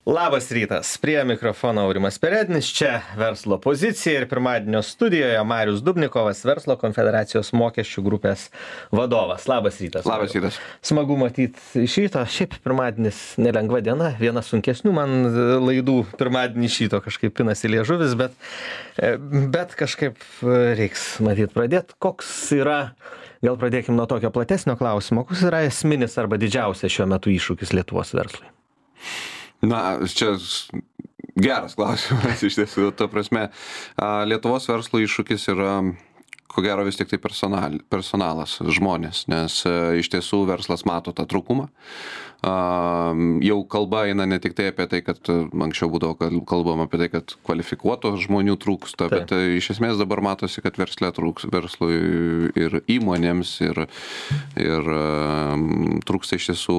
Labas rytas, prie mikrofono Aurimas Perednis, čia verslo pozicija ir pirmadienio studijoje Marius Dubnikovas, Verslo konfederacijos mokesčių grupės vadovas. Labas rytas. Labas rytas. Smagu matyti iš ryto, šiaip pirmadienis nelengva diena, viena sunkesnių man laidų pirmadienį iš ryto kažkaip pinasi liežuvis, bet kažkaip reiks matyti pradėti. Koks yra, gal pradėkim nuo tokio platesnio klausimo, koks yra esminis arba didžiausias šiuo metu iššūkis Lietuvos verslui? Na, čia geras klausimas iš tiesų, ta prasme, Lietuvos verslo iššūkis yra, ko gero vis tik tai personalas, žmonės, nes iš tiesų verslas mato tą trūkumą. Jau kalba eina ne tik tai apie tai, kad anksčiau būdavo kalbama apie tai, kad kvalifikuotų žmonių trūksta, bet iš esmės dabar matosi, kad verslui ir įmonėms ir trūksta iš tiesų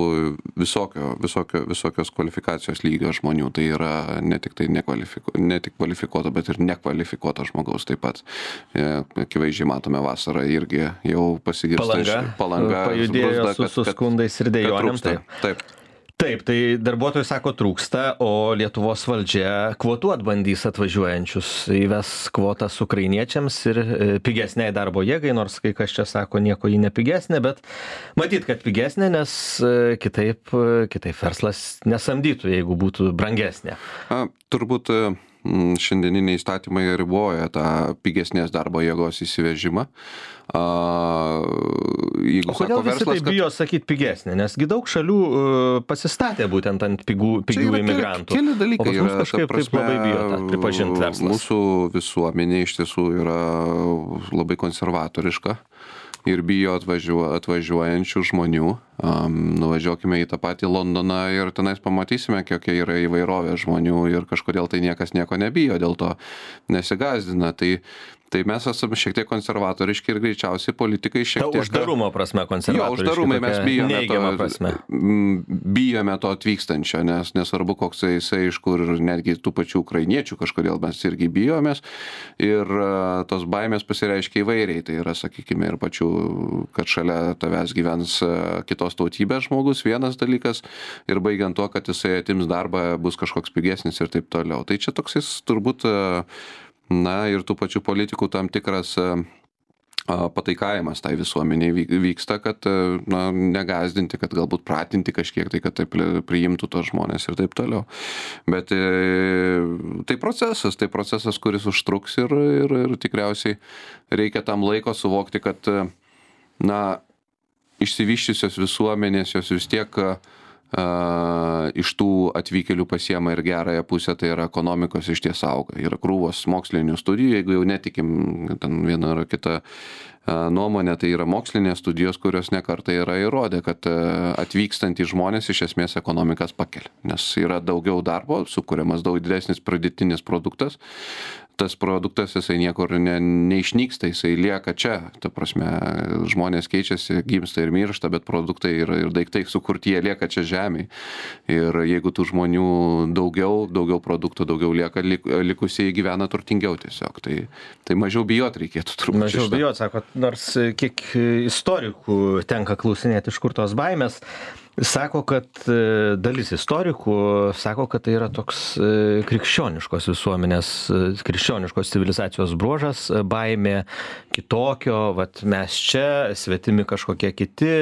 visokios kvalifikacijos lygio žmonių. Tai yra ne tik kvalifikuoto, bet ir nekvalifikuoto žmogaus taip pat. Akivaizdžiai matome vasarą irgi jau pasigirsta Palanga pajudėjo su skundais ir dejonėm. Taip, tai darbuotojai sako trūksta, o Lietuvos valdžia kvotuot bandys atvažiuojančius, įves kvotas ukrainiečiams ir pigesniai darbo jėgai, nors kai kas čia sako nieko ji nepigesnė, bet matyt, kad pigesnė, nes kitaip verslas nesamdytų, jeigu būtų brangesnė. Turbūt šiandieniniai įstatymai riboja tą pigesnės darbo jėgos įsivežimą. O kodėl visi tai bijo sakyti pigesnė? Nesgi daug šalių pasistatė būtent ant pigių imigrantų. Keli dalykai yra, kažkaip taip labai bijo tą pripažinti verslas. Mūsų visuomenė iš tiesų yra labai konservatoriška ir bijo atvažiuojančių žmonių. Nuvažiuokime į tą patį Londoną ir tenais pamatysime, kokia yra įvairovė žmonių ir kažkodėl tai niekas nieko nebijo, dėl to nesigąsdina. Tai mes esame šiek tiek konservatoriški ir greičiausiai politikai šiek tiek... Uždarumo prasme konservatoriški. Jo, uždarumai mes bijome to atvykstančio, nes nesvarbu, koks jisai iš kur, netgi tų pačių ukrainiečių kažkodėl mes irgi bijomės. Ir tos baimės pasireiškia įvairiai. Tai yra, sakykime, ir pačių, kad šalia tavęs gyvens kitos tautybės žmogus, vienas dalykas, ir baigiant tuo, kad jisai atims darbą, bus kažkoks pigesnis ir taip toliau. Tai čia toksis turbūt, ir tų pačių politikų tam tikras pataikavimas tai visuomeniai vyksta, kad negazdinti, kad galbūt pratinti kažkiek tai, kad taip priimtų tos žmonės ir taip toliau. Bet tai procesas, kuris užtruks ir tikriausiai reikia tam laiko suvokti, kad išsivyščiusios visuomenės jos vis tiek iš tų atvykėlių pasiema ir gerąją pusę, tai yra ekonomikos išties auga. Yra krūvos mokslinių studijų, jeigu jau netikim ten vieną ar kitą nuomonę, tai yra mokslinės studijos, kurios nekartą yra įrodę, kad atvykstantys žmonės iš esmės ekonomikas pakelia. Nes yra daugiau darbo, sukuriamas daug didesnis pridėtinis produktas. Tas produktas jisai niekur neišnyksta, jisai lieka čia. Ta prasme, žmonės keičiasi, gimsta ir miršta, bet produktai ir daiktai sukurti, jie lieka čia žemėje. Ir jeigu tų žmonių daugiau produktų, daugiau lieka, likusieji gyvena turtingiau tiesiog. Tai mažiau bijot reikėtų turbūt. Mažiau bijot, sakot, nors kiek istorikų tenka klausinėti, iš kur tos baimės. Sako, kad dalis istorikų sako, kad tai yra toks krikščioniškos visuomenės, krikščioniškos civilizacijos bruožas, baimė kitokio, vat mes čia, svetimi kažkokie kiti,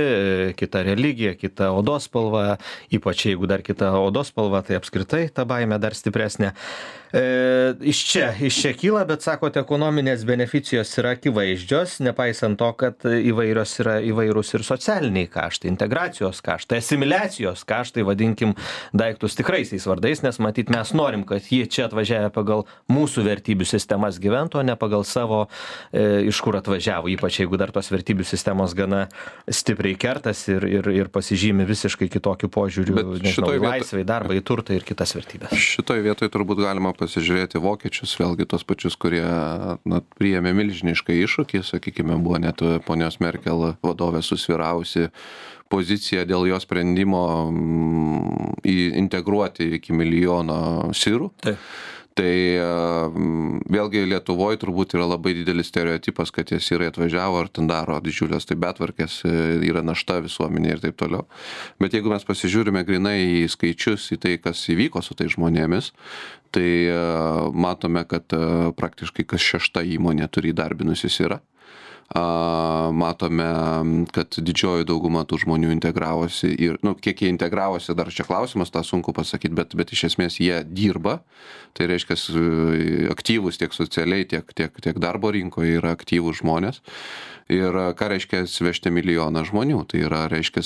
kita religija, kita odos spalva, ypač jeigu dar kita odos spalva, tai apskritai ta baimė dar stipresnė. Iš čia kyla, bet sakote, ekonominės beneficijos yra akivaizdžios, nepaisant to, kad įvairūs ir socialiniai kaštai, integracijos kaštai, asimiliacijos kaštai, vadinkim daiktus tikraisiais vardais, nes matyt mes norim, kad jie čia atvažiavę pagal mūsų vertybių sistemas gyventų, o ne pagal savo, iš kur atvažiavo, ypač jeigu dar tos vertybių sistemos gana stipriai kertasi ir pasižymi visiškai kitokiu požiūriu, nežinau, laisvai, darbą, į turtą ir kitas vertybės. Šitoj vietoj turbūt galima pasižiūrėti vokiečius, vėlgi tos pačius, kurie priėmė milžinišką iššūkį, sakykime, buvo net ponios Merkel vadovė susvyravusi pozicija dėl jo sprendimo integruoti iki milijono sirų. Tai vėlgi Lietuvoje turbūt yra labai didelis stereotipas, kad jie sirai atvažiavo ar ten daro didžiulės tai betvarkės, yra našta visuomenė ir taip toliau. Bet jeigu mes pasižiūrime grinai į skaičius, į tai, kas įvyko su tai žmonėmis, tai matome, kad praktiškai kas 6 įmonė turi įdarbinusis yra. Matome, kad didžioji dauguma tų žmonių integravosi ir, kiek jie integravosi, dar čia klausimas, tą sunku pasakyti, bet iš esmės jie dirba, tai reiškia aktyvus tiek socialiai, tiek darbo rinkoje yra aktyvūs žmonės. Ir ką reiškia svežti milijoną žmonių, tai yra, reiškia,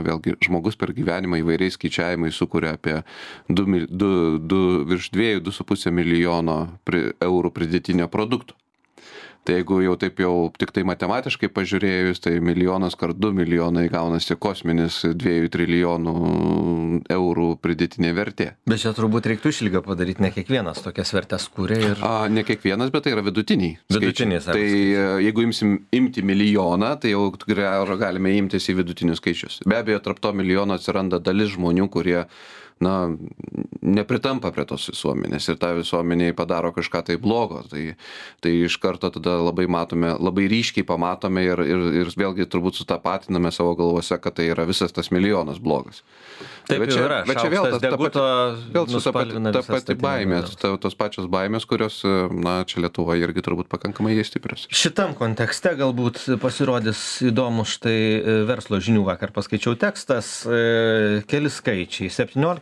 vėlgi, žmogus per gyvenimą įvairiais skaičiavimais sukuria apie virš 2,5 milijono eurų pridėtinio produkto. Tai jeigu jau taip jau tik tai matematiškai pažiūrėjus, tai milijonas kart 2 milijonai gaunasi kosminis 2 trilijonų eurų pridėtinė vertė. Bet čia turbūt reiktų išlygą padaryti, ne kiekvienas tokias vertės kūrė ir... Ne kiekvienas, bet tai yra vidutiniai. Vidutinis. Tai jeigu imti milijoną, tai jau galime imtis į vidutinius skaičius. Be abejo, tarp to milijono atsiranda dalis žmonių, kurie nepritampa prie tos visuomenės ir tą visuomenėje padaro kažką tai blogo. Tai iš karto tada labai ryškiai pamatome ir vėlgi turbūt sutapatiname savo galvose, kad tai yra visas tas milijonas blogas. Taip bet čia, yra, bet čia vėl ta pati baimė, tos pačios baimės, kurios, čia Lietuvoje irgi turbūt pakankamai stiprios. Šitam kontekste galbūt pasirodys įdomus, štai Verslo žinių vakar paskaičiau tekstas, keli skaičiai.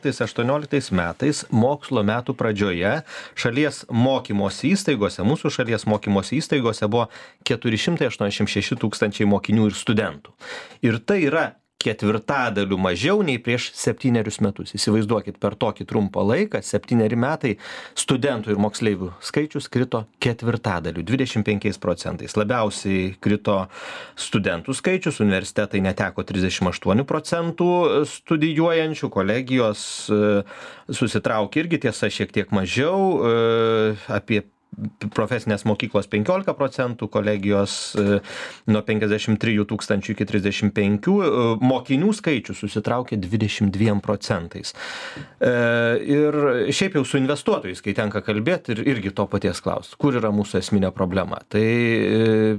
17-18 metais, mokslo metų pradžioje, šalies mokymosi įstaigose, mūsų šalies mokymosi įstaigose buvo 486 tūkstančiai mokinių ir studentų. Ir tai yra ketvirtadaliu mažiau nei prieš 7 metus. Įsivaizduokit, per tokį trumpą laiką, 7 metai, studentų ir moksleivių skaičius krito ketvirtadaliu, 25%. Labiausiai krito studentų skaičius, universitetai neteko 38% studijuojančių, kolegijos susitraukė irgi, tiesa, šiek tiek mažiau, apie profesinės mokyklos 15%, kolegijos nuo 53 tūkstančių iki 35, mokinių skaičius susitraukė 22%. Ir šiaip jau su investuotojais, kai tenka kalbėti, ir irgi to paties klausti, kur yra mūsų esminė problema. Tai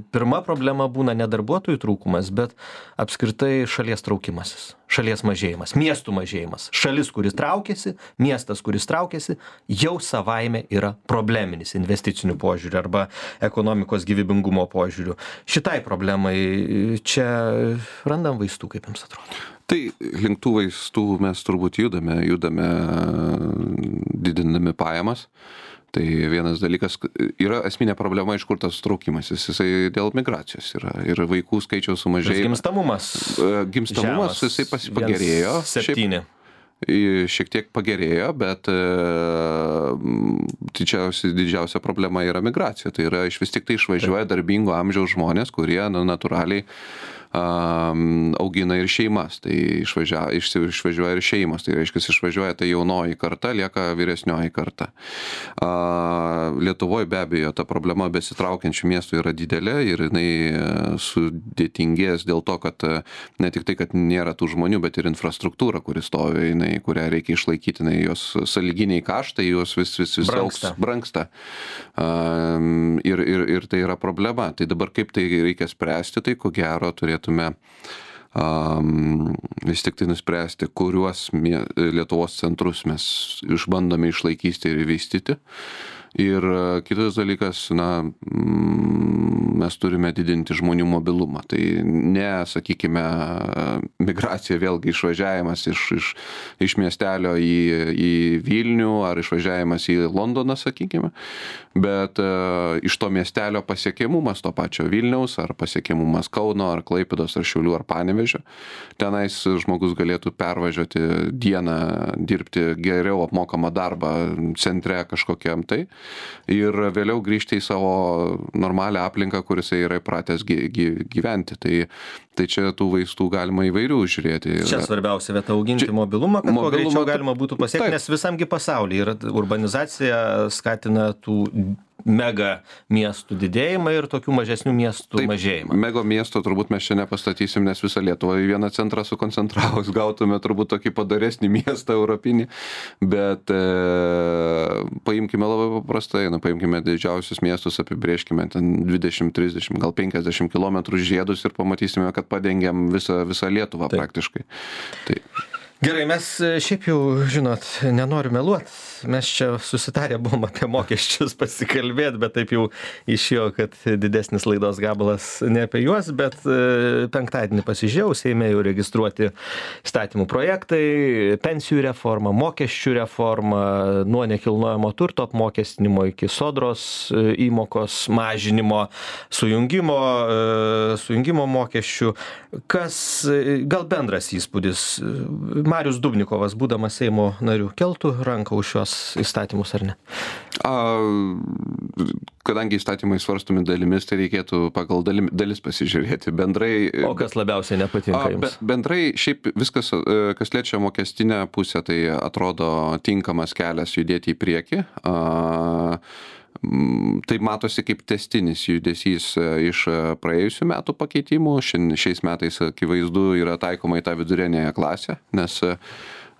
pirma problema būna ne darbuotojų trūkumas, bet apskritai šalies traukimasis. Šalies mažėjimas, miestų mažėjimas. Šalis, kuris traukiasi, miestas, kuris traukiasi, jau savaime yra probleminis investicinių požiūrių arba ekonomikos gyvybingumo požiūrių. Šitai problemai čia randam vaistų, kaip jums atrodo? Tai link tų vaistų mes turbūt judame didindami pajamas. Tai vienas dalykas, yra esminė problema, iš kur tas traukimasis, jisai dėl migracijos yra ir vaikų skaičiaus sumažėjimas. Gimstamumas jisai pagerėjo. 7. Šiek tiek pagerėjo, bet didžiausia problema yra migracija. Tai yra vis tik tai išvažiuoja darbingo amžiaus žmonės, kurie natūraliai augina ir šeimas, tai išvažiuoja ir šeimos, tai reiškia, išvažiuoja tai jaunoji karta, lieka vyresnioji karta. Lietuvoje be abejo ta problema besitraukiančių miestų yra didelė ir jinai sudėtingės dėl to, kad ne tik tai, kad nėra tų žmonių, bet ir infrastruktūra, kuri stovi, kurią reikia išlaikyti, jos sąlyginiai kaštai, jos vis brangsta. Ir tai yra problema. Tai dabar kaip tai reikia spręsti, tai ko gero turėtume vis tik tai nuspręsti, kuriuos Lietuvos centrus mes išbandome išlaikyti ir vystyti. Ir kitas dalykas, mes turime didinti žmonių mobilumą. Tai ne, sakykime, migracija vėlgi išvažiavimas iš miestelio į Vilnių ar išvažiavimas į Londoną, sakykime, bet iš to miestelio pasiekiamumas to pačio Vilniaus ar pasiekiamumas Kauno ar Klaipėdos ar Šiaulių ar Panevėžio. Tenais žmogus galėtų pervažiuoti dieną, dirbti geriau apmokamą darbą centre kažkokiam tai. Ir vėliau grįžti į savo normalią aplinką, kuris yra įpratęs gyventi. Tai čia tų vaistų galima įvairių žiūrėti. Čia svarbiausia vieta auginti mobilumą, kad kuo greičiau galima būtų pasiekti, nes visamgi pasaulyje yra urbanizacija skatina tų mega miestų didėjimą ir tokių mažesnių miestų mažėjimą. Mega miesto turbūt mes čia nepastatysim, nes visą Lietuvą į vieną centrą sukoncentravus gautume turbūt tokį padaresnį miestą europinį, bet paimkime labai paprastai, paimkime didžiausius miestus, apibrėžkime ten 20, 30, gal 50 km žiedus ir pamatysime, kad padengiam visą Lietuvą praktiškai. Tai. Gerai, mes šiaip jau, žinot, nenoriu meluot, mes čia susitarę buvom apie mokesčius pasikalbėti, bet taip jau išėjo, kad didesnis laidos gabalas ne apie juos, bet penktadienį pasižiūrėjau, Seime jau registruoti įstatymų projektai, pensijų reforma, mokesčių reforma, nuo nekilnojamo turto apmokestinimo iki sodros įmokos mažinimo, sujungimo mokesčių. Kas, gal bendras įspūdis? Marius Dubnikovas, būdamas Seimo nariu, keltų ranką už šios įstatymus ar ne? Kadangi įstatymai svarstomi dalimis, tai reikėtų pagal dalis pasižiūrėti. Bendrai. O kas labiausiai nepatinka jums? Bendrai šiaip viskas, kas liečia mokestinę pusę, tai atrodo tinkamas kelias judėti į priekį. Tai matosi kaip tęstinis judesys iš praėjusių metų pakeitimų. Šiais metais akivaizdu yra taikoma į tą vidurinėją klasę, nes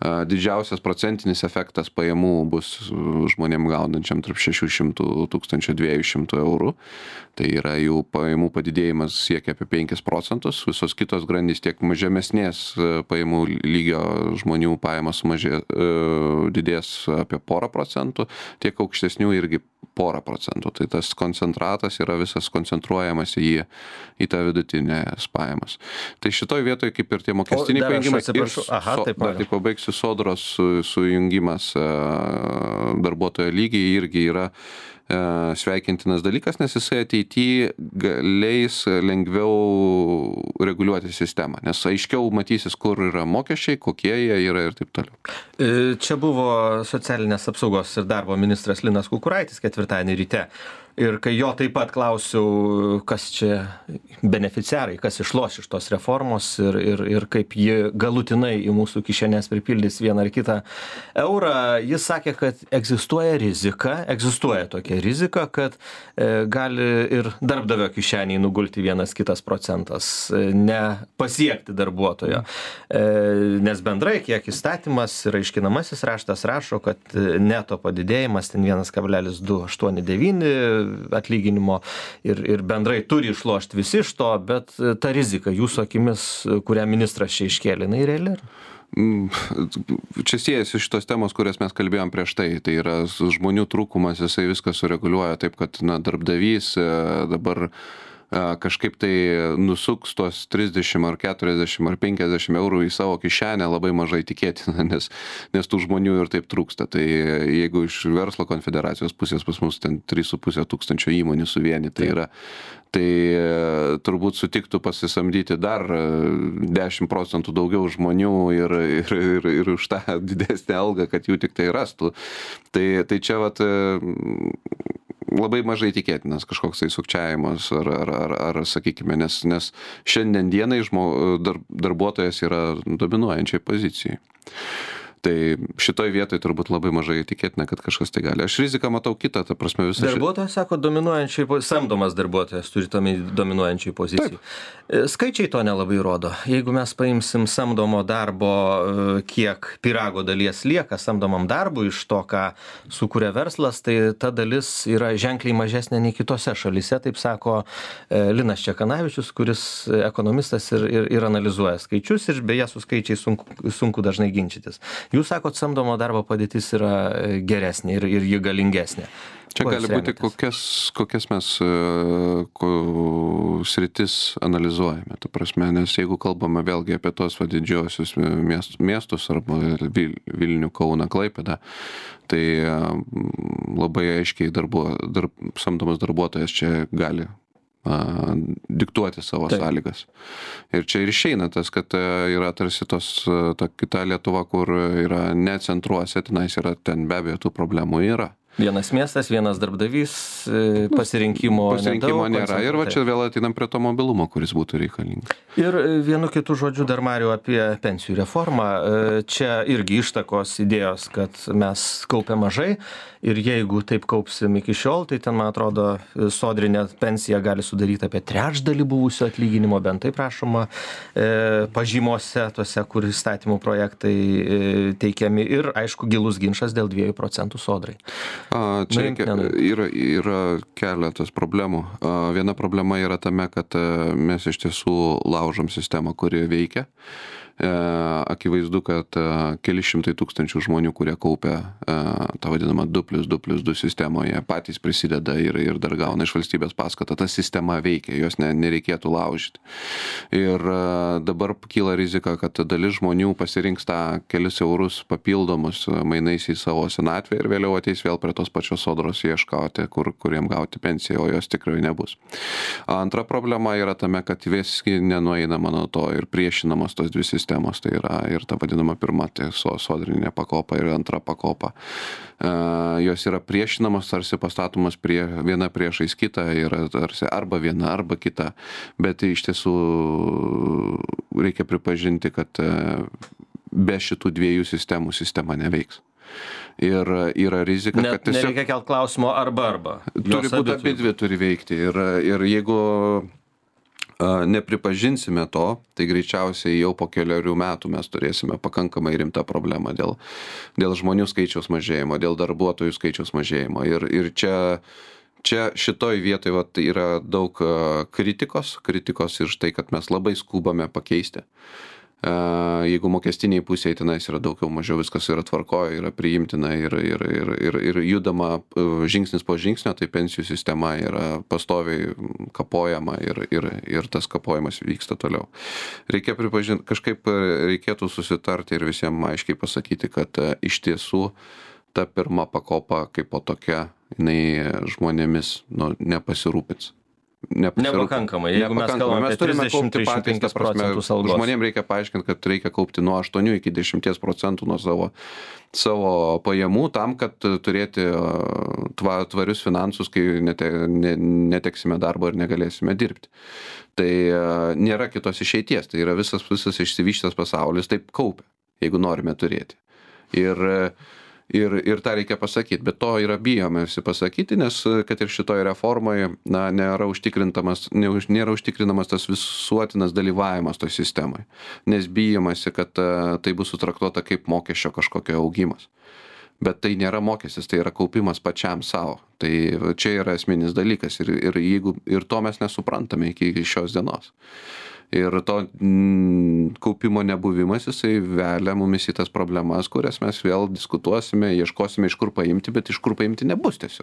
didžiausias procentinis efektas pajamų bus žmonėm gaunančiam tarp 600-1200 eurų. Tai yra jų pajamų padidėjimas siekia apie 5%. Visos kitos grandys tiek žemesnės pajamų lygio žmonių pajamos didės apie 0,5%, tiek aukštesnių irgi 0,5%. Tai tas koncentratas yra visas koncentruojamas į tą vidutinės pajamas. Tai šitoj vietoje kaip ir tie mokestiniai pajungimai ir pabaigsiu sodros sujungimas darbuotojo lygiai irgi yra sveikintinas dalykas, nes jisai ateityje leis lengviau reguliuoti sistemą, nes aiškiau matysis, kur yra mokesčiai, kokie jie yra ir taip toliau. Čia buvo socialinės apsaugos ir darbo ministras Linas Kukuraitis ketvirtadienį ryte. Ir kai jo taip pat klausiau, kas čia beneficiarai, kas išloš iš tos reformos ir kaip ji galutinai į mūsų kišenės pripildys vieną ar kitą eurą, jis sakė, kad egzistuoja tokia rizika, kad gali ir darbdavio kišeniai nugulti 1-2 procentas, nepasiekti darbuotojo. Nes bendrai, kiek įstatymas ir aiškinamasis raštas rašo, kad neto padidėjimas ten 1,289 atlyginimo ir bendrai turi išlošti visi iš to, bet ta rizika jūsų akimis, kurią ministras čia iškėlė, jinai reali? Čia siejasi šitos temos, kurias mes kalbėjom prieš tai. Tai yra žmonių trūkumas, jisai viską sureguliuoja taip, kad darbdavys dabar kažkaip tai nusuks tos 30 ar 40 ar 50 eurų į savo kišenę labai mažai tikėtina, nes tų žmonių ir taip trūksta. Tai jeigu iš verslo konfederacijos pusės pas mus ten 3,5 tūkstančio įmonių suvienyta yra, tai turbūt sutiktų pasisamdyti dar 10% daugiau žmonių ir už tą didesnę algą, kad jų tik tai rastų. Tai čia vat labai mažai tikėtinas kažkoks tai sukčiavimas ar sakykime, nes šiandien dienai darbuotojas yra dominuojančiai pozicijai. Tai šitoj vietoj turbūt labai mažai tikėtina, kad kažkas tai gali. Aš riziką matau kitą, ta prasme visą. Darbuotojas sako samdomas darbuotojas turi dominuojančiai pozicijai. Skaičiai to nelabai rodo. Jeigu mes paimsim samdomo darbo, kiek pyrago dalies lieka samdomam darbui iš to, ką sukuria verslas, tai ta dalis yra ženkliai mažesnė nei kitose šalyse, taip sako Linas Čekanavičius, kuris ekonomistas ir analizuoja skaičius ir beje su skaičiais sunku dažnai ginčytis. Jūs sakot, samdomo darbo padėtis yra geresnė ir ji galingesnė. Čia gali būti, kokias mes sritis analizuojame. Ta prasme, nes jeigu kalbame vėlgi apie tos didžiosius miestus arba Vilnių, Kauną, Klaipėdą, tai labai aiškiai samdomas darbuotojas čia gali diktuoti savo sąlygas. Ir čia ir išeina tas, kad yra tarsi ta kita Lietuva, kur yra ne centruose, ten be abejo tų problemų yra. Vienas miestas, vienas darbdavys, pasirinkimo nėra. Ir va čia vėl ateinam prie to mobilumo, kuris būtų reikalingas. Ir vienu kitu žodžiu dar, Mariau, apie pensijų reformą. Čia irgi ištakos idėjos, kad mes kaupiam mažai ir jeigu taip kaupsim iki šiol, tai ten, man atrodo, sodrinė pensija gali sudaryti apie trečdalį buvusio atlyginimo, bent taip prašoma, pažymose, tose, kur įstatymų projektai teikiami. Ir, aišku, gilus ginčas dėl 2% sodrai. Čia yra keletas problemų. Viena problema yra tame, kad mes iš tiesų laužom sistemą, kuri veikia. Akivaizdu, kad keli šimtai tūkstančių žmonių, kurie kaupia tą vadinamą 2+2+2 sistemoje, patys prisideda ir dar gauna iš valstybės paskatą. Ta sistema veikia, jos nereikėtų laužyti. Ir dabar kyla rizika, kad dalis žmonių pasirinks tą kelis eurus papildomus mainais į savo senatvę ir vėliau ateis vėl prie tos pačios sodros ieškoti, kuriem gauti pensiją, o jos tikrai nebus. Antra problema yra tame, kad visgi nenueinama nuo to ir priešinamos tos dvi sistemos. Tai yra ir ta vadinama pirma, tai sodrinė pakopa ir antra pakopa. Jos yra priešinamos, tarsi pastatomas viena priešais kitą, yra tarsi arba viena, arba kita. Bet iš tiesų reikia pripažinti, kad be šitų dviejų sistemų sistema neveiks. Ir yra rizika, kad tiesiog... Nereikia kelt klausimo arba. Turi būti abi dvi turi veikti. Ir jeigu nepripažinsime to, tai greičiausiai jau po keliarių metų mes turėsime pakankamai rimtą problemą dėl žmonių skaičiaus mažėjimo, dėl darbuotojų skaičiaus mažėjimo. Ir čia šitoj vietoj yra daug kritikos ir tai, kad mes labai skubame pakeisti. Jeigu mokestiniai pusėje tenais yra daugiau mažiau viskas yra tvarkoje, yra priimtina ir judama žingsnis po žingsnio, tai pensijų sistema yra pastoviai kapojama ir tas kapojimas vyksta toliau. Reikia pripažinti, kažkaip reikėtų susitarti ir visiems aiškiai pasakyti, kad iš tiesų ta pirma pakopa kaip po tokia, jinai žmonėmis nepasirūpins. Nepakankamai. Jeigu mes kalbame apie 30-35% algos. Žmonėms reikia paaiškinti, kad reikia kaupti nuo 8 iki 10% nuo savo pajamų tam, kad turėti tvarius finansus, kai neteksime darbo ir negalėsime dirbti. Tai nėra kitos išeities. Tai yra visas išsivyšęs pasaulis taip kaupia, jeigu norime turėti. Ir tą reikia pasakyti, bet to yra bijome visi pasakyti, nes kad ir šitoje reformoje nėra užtikrinamas tas visuotinas dalyvavimas toj sistemoje, nes bijomasi, kad tai bus sutraktuota kaip mokesčio kažkokio augimas. Bet tai nėra mokestis, tai yra kaupimas pačiam savo. Tai čia yra esminis dalykas ir to mes nesuprantame iki šios dienos. Ir to kaupimo nebuvimas, jisai velia mumis į tas problemas, kurias mes vėl diskutuosime, ieškosime, iš kur paimti, bet iš kur paimti nebus tiesiog.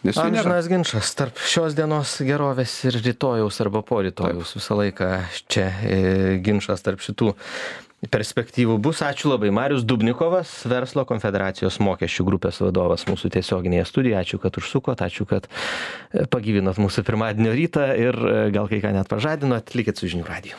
Amžinas ginčas tarp šios dienos gerovės ir rytojaus arba po rytojaus. Visą laiką čia ginčas tarp šitų perspektyvų bus. Ačiū labai. Marius Dubnikovas, Verslo konfederacijos mokesčių grupės vadovas mūsų tiesioginėje studijoje. Ačiū, kad užsukot, ačiū, kad pagyvinot mūsų pirmadienio rytą ir gal kai ką net pažadinot. Likit su Žinių radiju.